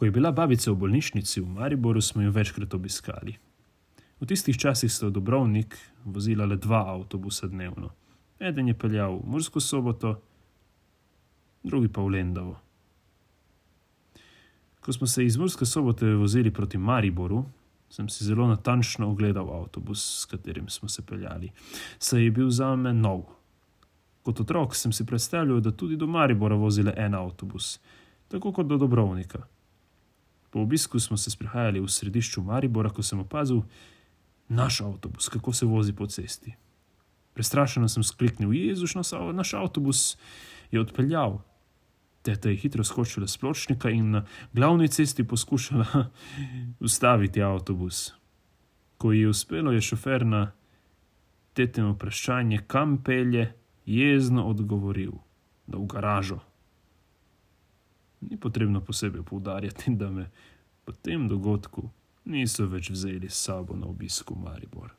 Ko je bila babica v bolnišnici v Mariboru, smo jo večkrat obiskali. V tistih časih sta v Dubrovnik vozila le 2 avtobusa dnevno. Eden je peljal v Mursko Soboto, drugi pa v Lendavo. Ko smo se iz Murske Sobote vozili proti Mariboru, sem si zelo natančno ogledal avtobus, s katerim smo se peljali, saj je bil zame nov. Kot otrok sem si predstavljal, da tudi do Maribora vozi le en avtobus, tako kot do Dubrovnika. Po obisku smo se sprehajali v središču Maribora, ko sem opazil naš avtobus, kako se vozi po cesti. Prestrašeno sem skliknil: Jezuš, naš avtobus je odpeljal. Teta je hitro skočila s pločnika in na glavni cesti poskušala ustaviti avtobus. Ko ji je uspelo, je šofer na tetino vprašanje, kam pelje, jezno odgovoril: da v garažo. Ni potrebno posebej poudarjati, da me po tem dogodku niso več vzeli s sabo na obisk v Maribor.